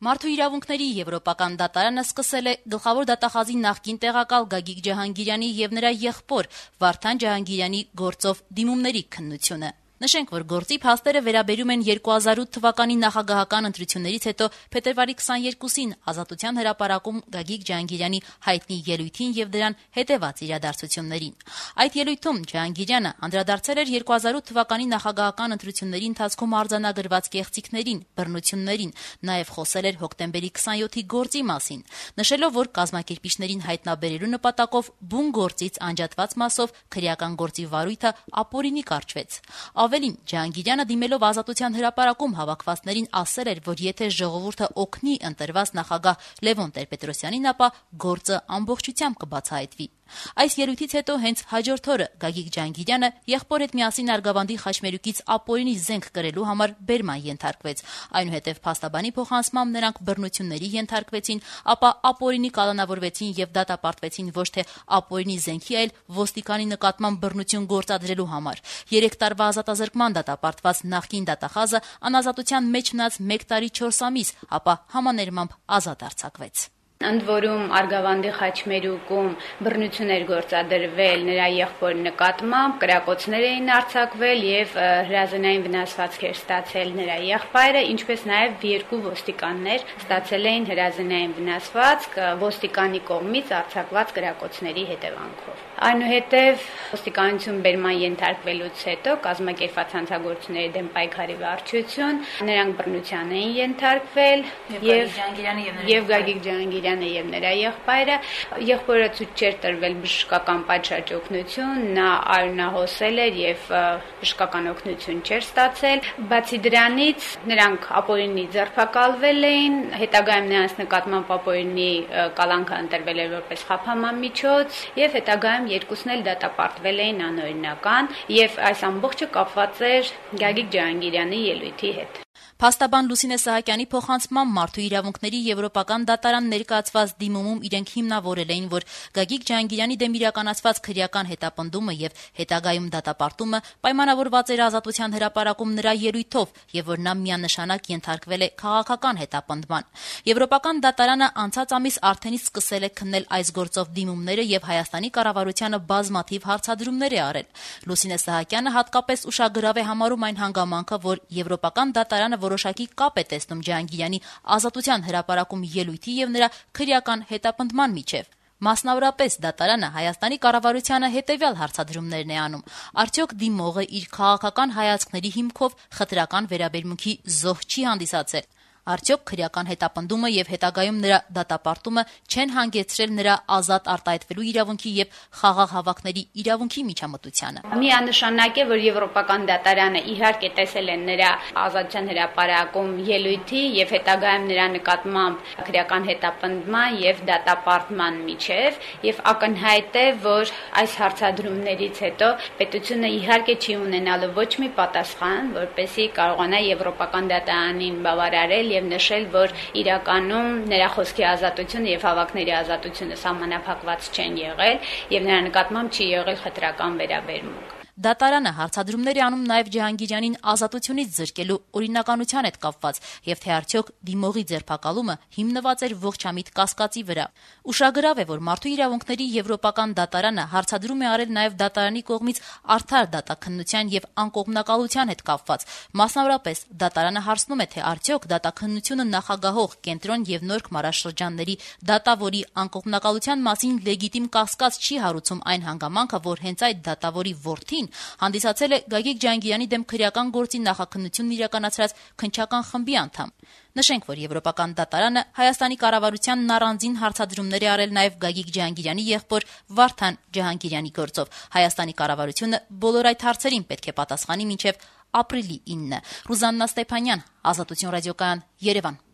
Մարդու իրավունքների եվրոպական դատարանը սկսել է գլխավոր դատախազի նախկին տեղակալ Գագիկ Ջահանգիրյանի եւ նրա եղբոր Վարդան Ջահանգիրյանի գործով դիմումների քննությունը։ Նշենք, որ գործի փաստերը վերաբերում են 2008 թվականի նախագահական ընտրություններից հետո փետրվարի 22-ին Ազատության հրապարակում Գագիկ Ջահանգիրյանի հայտնի ելույթին եւ դրան հետեւած իրադարձություններին։ Այդ ելույթում Ջահանգիրյանը անդրադարձել էր 2008 թվականի նախագահական ընտրությունների ընթացքում արձանագրված կեղծիքներին, բռնություններին, նաեւ խոսել էր հոկտեմբերի 27-ի գործի մասին, նշելով, որ կազմակերպիչներին հայտնաբերելու նպատակով բուն գործից անջատված մասով քրեական գործի վարույթը ապօրինի կարճվեց։ Ավելին, Ջահանգիրյանը դիմելով Ազատության հրապարակում հավաքվածներին ասել էր, որ եթե ժողովուրդը օգնի ընտրված նախագահ Լևոն Տեր-Պետրոսյանին, ապա գործը ամբողջությամբ կբացահայտվի։ Այս ելույթից հետո հենց հաջորդ օրը Գագիկ Ջահանգիրյանը եղբոր հետ միասին Արգավանդի խաչմերուկից ապօրինի զենք կրելու համար բերման ենթարկվեց։ Այնուհետև փաստաբանի փոխանցմամբ նրանք բռնությունների ենթարկվեցին, ապա ապօրինի կալանավորվեցին եւ դատապարտվեցին ոչ թե ապօրինի զենքի, այլ ոստիկանի նկատմամբ բռնություն գործադրելու համար։ 3 տարվա ազատազրկման դատապարտված նախկին դատախազը անազատության մեջ մնաց 1 տարի 4 ամիս, ապա համաներմամբ ազատ արձակվեց։ Ընդ որում Արգավանդի խաչմերուկում բռնություն էր գործադրվել նրա եղբորի նկատմամբ, կրակոցներ էին արձակվել եւ հրազենային վնասվածքեր ստացել նրա եղբայրը, ինչպես նաեւ 2 ոստիկաններ ստացել էին հրազենային վնասվածք ոստիկանի կողմից արձակված կրակոցների հետևանքով։ Այնուհետև ոստիկանություն բերման ենթարկվելուց հետո կազմակերպված հանցագործությունների դեմ պայքարի վարչություն, նրանք բռնության էին ենթարկվել եւ Գագիկ Ջահանգիրյանը եւ նրա եղբայրը ցույց չէր տրվել բժշկական պատշաճ օգնություն, նա արյունահոսել էր եւ բժշկական օգնություն չէր ստացել։ Բացի դրանից նրանք ապօրինի ձերբակալվել էին, հետագայում նրանց նկատմամբ ապօրինի կալանքը ընտրվել էր որպես խափանման միջոց եւ հետագայում երկուսն էլ դատապարտվել էին անօրինական եւ այս ամբողջը կապված էր Գագիկ Ջահանգիրյանի ելույթի հետ։ Փաստաբան Լուսինե Սահակյանի փոխանցմամբ Մարդու իրավունքների եվրոպական դատարան ներկայացված դիմումում իրենք հիմնավորել էին, որ Գագիկ Ջահանգիրյանի դեմ իրականացված քրեական հետապնդումը եւ հետագայում դատապարտումը պայմանավորված էր Ազատության հրապարակում նրա ելույթով եւ որ նա միանշանակ ենթարկվել է քաղաքական հետապնդման։ Եվրոպական դատարանը անցած ամիս արդենից սկսել է քննել այս գործով դիմումները եւ Հայաստանի կառավարությանը բազմաթիվ հարցադրումներ է արել։ Լուսինե Սահակյանը հատկապես ուշագրավ է համարում այն հանգամանքը, որ Եվրոպական դատարանը որոշակի կապ է տեսնում Ջահանգիրյանի Ազատության հրապարակում ելույթի եւ նրա քրեական հետապնդման միջեւ։ Մասնավորապես դատարանը Հայաստանի կառավարությանը հետեւյալ հարցադրումներն է անում. արդյոք դիմողը իր քաղաքական հայացքների հիմքով խտրական վերաբերմունքի զոհ չի հանդիսացել։ Արդյոք քրեական հետապնդումը եւ հետագայում նրա դատապարտումը չեն հանգեցրել նրա ազատ արտահայտվելու իրավունքի եւ խաղաղ հավաքների իրավունքի միջամտությանը։ Միանշանակ է, որ Եվրոպական դատարանը իհարկե տեսել է նրա Ազատության հրապարակում ելույթի եւ հետագայում նրա նկատմամբ քրեական հետապնդման եւ դատապարտման միջեւ եւ ակնհայտ է, որ այս հարցադրումներից հետո պետությունը իհարկե չի ունենալու ոչ մի պատասխան, որպեսզի կարողանա Եվրոպական դատարանին բավարարել եւ նշել, որ իրականում նրա խոսքի ազատությունը եւ հավաքների ազատությունը սահմանափակված չեն եղել եւ նրա նկատմամբ չի եղել խտրական վերաբերմունք։ Դատարանը հարցադրումներ է անում նաև Ջահանգիրյանին ազատությունից զրկելու օրինականության հետ կապված եւ թե արդյոք դիմողի ձերբակալումը հիմնված էր ողջամիտ կասկածի վրա։ Ուշագրավ է, որ Մարդու իրավունքների եվրոպական դատարանը հարցադրում է արել նաև դատարանի կողմից արդար դատաքննության եւ անկողմնակալության հետ կապված։ Մասնավորապես դատարանը հարցնում է, թե արդյոք դատաքննությունը նախագահող կենտրոն եւ Նորք մարաշրջանների դատավորի անկողմնակալության մասին լեգիտիմ կասկած չի հարուցում այն հանգամանքը, որ հենց այդ դատավորի որդին հանդիսացել է Գագիկ Ջահանգիրյանի դեմ քրեական գործի նախաքննությունն իրականացրած քննչական խմբի անդամ։ Նշենք, որ Եվրոպական դատարանը Հայաստանի կառավարությանն առանձին հարցադրումներ է արել նաև Գագիկ Ջահանգիրյանի եղբոր Վարդան Ջահանգիրյանի գործով։ Հայաստանի կառավարությունը բոլոր այդ հարցերին պետք է պատասխանի մինչև ապրիլի 9-ը։ Ռուզաննա Ստեփանյան, Ազատություն ռադիոկայան, Երևան։